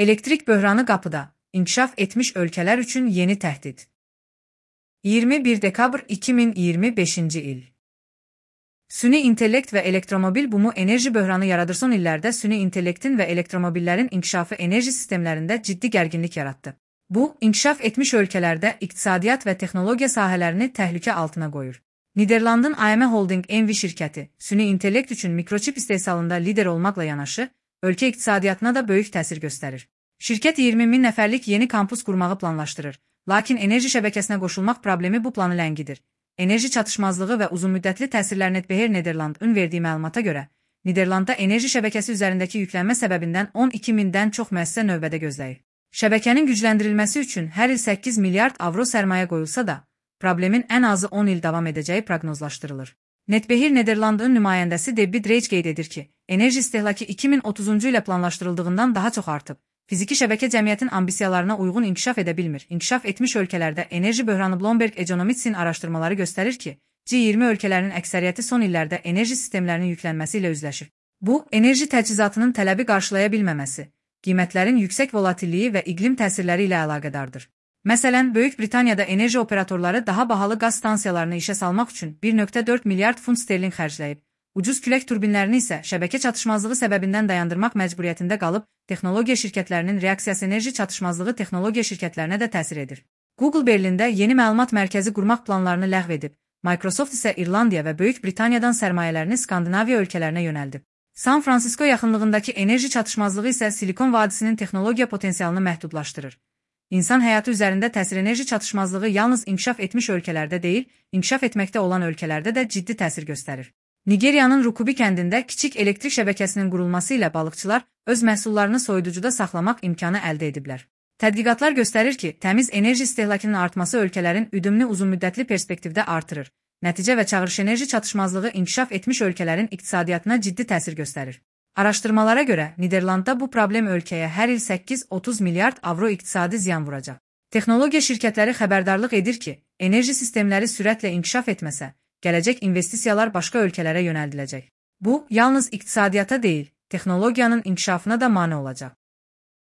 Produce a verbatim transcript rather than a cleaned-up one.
Elektrik böhranı qapıda. İnkişaf etmiş ölkələr üçün yeni təhdid. iyirmi bir dekabr iki min iyirmi beşinci il. Süni intellekt və elektromobil bumu enerji böhranı yaradır. Son illərdə süni intellektin və elektromobillərin inkişafı enerji sistemlərində ciddi gərginlik yaratdı. Bu, inkişaf etmiş ölkələrdə iqtisadiyyat və texnologiya sahələrini təhlükə altına qoyur. Niderlandın A M Holding N V şirkəti, süni intellekt üçün mikroçip istehsalında lider olmaqla yanaşı, ölkə iqtisadiyyatına da böyük təsir göstərir. Şirkət iyirmi min nəfərlik yeni kampus qurmağı planlaşdırır, lakin enerji şəbəkəsinə qoşulmaq problemi bu planı ləngidir. Enerji çatışmazlığı və uzunmüddətli təsirlər Netbeheer Nederland'ın verdiyi məlumata görə, Niderlandda enerji şəbəkəsi üzərindəki yüklənmə səbəbindən on iki mindən çox müəssisə növbədə gözləyir. Şəbəkənin gücləndirilməsi üçün hər il səkkiz milyard avro sərmayə qoyulsa da, problemin ən azı on il davam edəcəyi proqnozlaşdırılır. Netbeheer Nederland'ın nümayəndəsi Debbie Drake qeyd edir ki, enerji istehlakı iki min otuzuncu ilə planlaşdırıldığından daha çox artıb. Fiziki şəbəkə cəmiyyətin ambisiyalarına uyğun inkişaf edə bilmir. İnkişaf etmiş ölkələrdə enerji böhranı Bloomberg Economics'in araşdırmaları göstərir ki, G iyirmi ölkələrinin əksəriyyəti son illərdə enerji sistemlərinin yüklənməsi ilə üzləşir. Bu, enerji təchizatının tələbi qarşılaya bilməməsi, qiymətlərin yüksək volatilliyi və iqlim təsirləri ilə əlaqədardır. Məsələn, Böyük Britaniyada enerji operatorları daha bahalı qaz stansiyalarını işə salmaq üçün bir nöqtə dörd milyard funt sterling xərcləyib. Ucuz külək turbinlərini isə şəbəkə çatışmazlığı səbəbindən dayandırmaq məcburiyyətində qalıb, texnologiya şirkətlərinin reaksiyası enerji çatışmazlığı texnologiya şirkətlərinə də təsir edir. Google Berlində yeni məlumat mərkəzi qurmaq planlarını ləğv edib, Microsoft isə İrlandiya və Böyük Britaniyadan sərmayələrini Skandinaviya ölkələrinə yönəldib. San Francisco yaxınlığındakı enerji çatışmazlığı isə Silikon vadisinin texnologiya potensialını məhdudlaşdırır. İnsan həyatı üzərində təsir enerji çatışmazlığı yalnız inkişaf etmiş ölkələrdə deyil, inkişaf etməkdə olan ölkələrdə də ciddi təsir göstərir. Nigeriyanın Rukubi kəndində kiçik elektrik şəbəkəsinin qurulması ilə balıqçılar öz məhsullarını soyuducuda saxlamaq imkanı əldə ediblər. Tədqiqatlar göstərir ki, təmiz enerji istehlakının artması ölkələrin üdümlü uzunmüddətli perspektivdə artırır. Nəticə və çağırış enerji çatışmazlığı inkişaf etmiş ölkələrin iqtisadiyyatına ciddi təsir göstərir. Araşdırmalara görə, Niderlandda bu problem ölkəyə hər il səkkiz otuz milyard avro iqtisadi ziyan vuracaq. Texnologiya şirkətləri xəbərdarlıq edir ki, enerji sistemləri sürətlə inkişaf etməsə, gələcək investisiyalar başqa ölkələrə yönəldiləcək. Bu, yalnız iqtisadiyyata deyil, texnologiyanın inkişafına da mane olacaq.